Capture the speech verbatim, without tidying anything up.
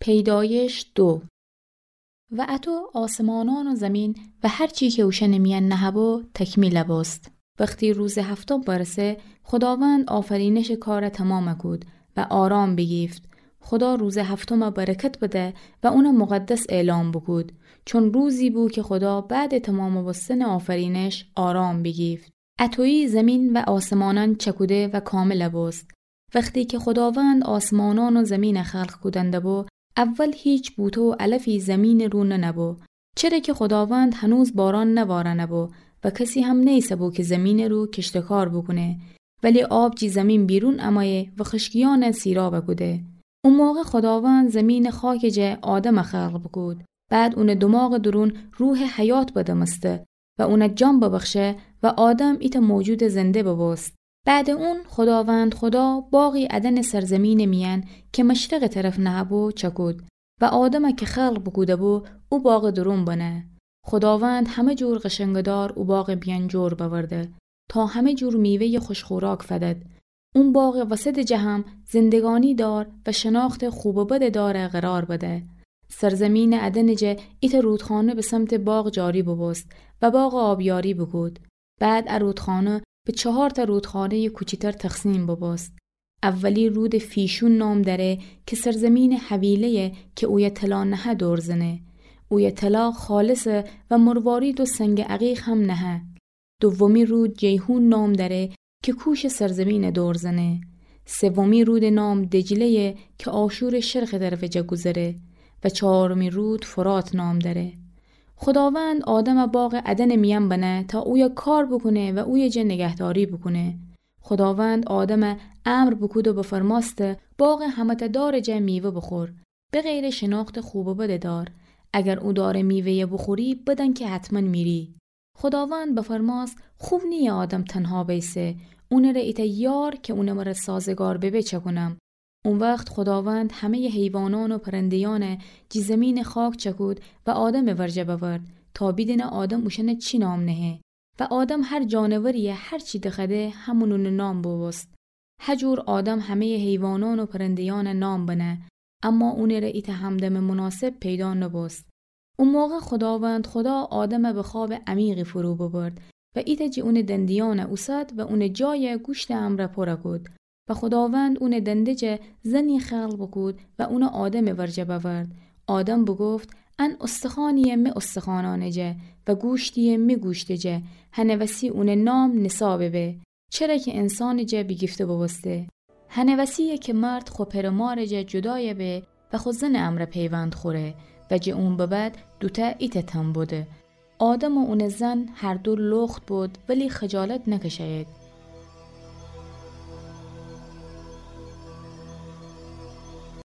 پیدایش دو. و اطو آسمانأن و زمین و هر چی کی اوشأنٚ میأن نهه‌بو تکمیل بوست. وختی روزٚ هفتم برسه، خوداوند آفرینشٚ کار تمام کود و آرام بیگیفت. خودا روزٚ هفتم برکت بده و اون مقدس اعلام بوکود، چون روزی بو کی خودا بعدٚ تمام بوستنٚ آفرینش آرام بیگیفت. اطویی زمین و آسمانأن چکوده و کامل بوست. وختی کی خوداوند آسمانأن و زمین خلق کودن دبو، اول هیچ بوته و علفی زمینٚ رو ننبو، چره کی خوداوند هنوز باران نوارنبو و کسی هم نیسه‌بو کی زمینٚ رو کشتکار بوکونه. ولی آب جی زمین بیرون امأیه و خشکیأن سیراب کوده. او موقع خوداوند زمینٚ خاکٚ جا آدم خلق بوکود. بعد اونٚ دماغٚ دورون روحٚ حیات بدمسته و اون جان ببخشه و آدم ایتأ موجودٚ زنده ببوست. بعدٚ اون خوداوند خودا باغی ادنٚ سرزمینٚ میأن کی مشرقٚ طرف نهه‌بو چکود و آدم کی خلق بوکوده‌بو او باغٚ دورون بنه. خوداوند همه جور قشنگٚ دار او باغٚ میأن جور بأورده تا همه جور میوه‌یٚ خوش‌خوراک فدد. اون باغٚ وسطٚ جا هم زندگانی دار و شناختٚ خوب و بدٚ دار قرار بده. سرزمینٚ ادنٚ جا ایتأ رودخانه به سمتٚ باغ جاری ببوست و باغ آبیاری بوکود. بعد ا رودخانه به چهارتأ رودخانه‌یٚ کوچیتر تقسیم ببوست. اولی رودٚ فیشون نام دأره کی سرزمینٚ حویله‌یه کی اویه طلا نهه دور زنه. اویه طلا خالصه و مروارید و سنگٚ عقیق هم نهه. دومی رود جیحون نام دأره کی کوشٚ سرزمین دور زنه. سومی رودٚ نام دجله‌یه کی آشورٚ شرقٚ طرفٚ جا گوذره و چهارمی رود فرات نام دأره. خوداوند آدم باغٚ ادنٚ میأن بنه تا اویه کار بوکونه و اویه جا نگهداری بوکونه. خوداوند آدم امر بوکود و بفرمأسته: باغٚ همه‌تأ دارٚ جا میوه بوخور، بغیرٚ شناختٚ خوب و بدٚ دار. اگر او دارٚ میوه‌یه بوخوری، بدأن کی حتماً میری. خوداوند بفرمأست: خوب نییه آدم تنها بیسه، اونٚ ره ایتأ یار کی اونٚ مره سازگار ببه چکونم. او وخت خوداوند همه‌یٚ حیوانأن و پرنده‌یأن جی زمینٚ خاک چکود و آدمٚ ورجه بأورد تا بیدینه آدم اوشأن چی نام نهه. و آدم هر جانوریی هر چی دخوأده همون اونٚ نام بوبوست. هجور آدم همه‌یٚ حیوانأن و پرنده‌یأن نام بنه، اما اونٚ ره ایتأ همدمٚ مناسب پیدا نبوست. او موقع خوداوند خودا آدم به خوابٚ عمیقی فرو ببرد و ایتأ جی اونٚ دنده‌یأن اوسد و اونٚ جای گوشتٚ امرأ پر کود. و خوداوند اونٚ دنده جا زنی خلق بوکود و اون آدمٚ ورجه بأورد. آدم بوگفت: ان استخوانییه می استخوانأنٚ جا و گوشتییه می گوشتٚ جا، هنٚ وسی اونٚ نام نسا ببه. چره کی انسانٚ جا بیگیفته بوبوسته. هنٚ وسییه کی مرد خو پئر و مارٚ جا جدایه به و خو زنٚ امرأ پیوند خوره و جٚه اون به بعد دوتأ ایتأ تن بوده. آدم و اونٚ زن هر دو لخت بود، ولی خجالت نکشه‌یید.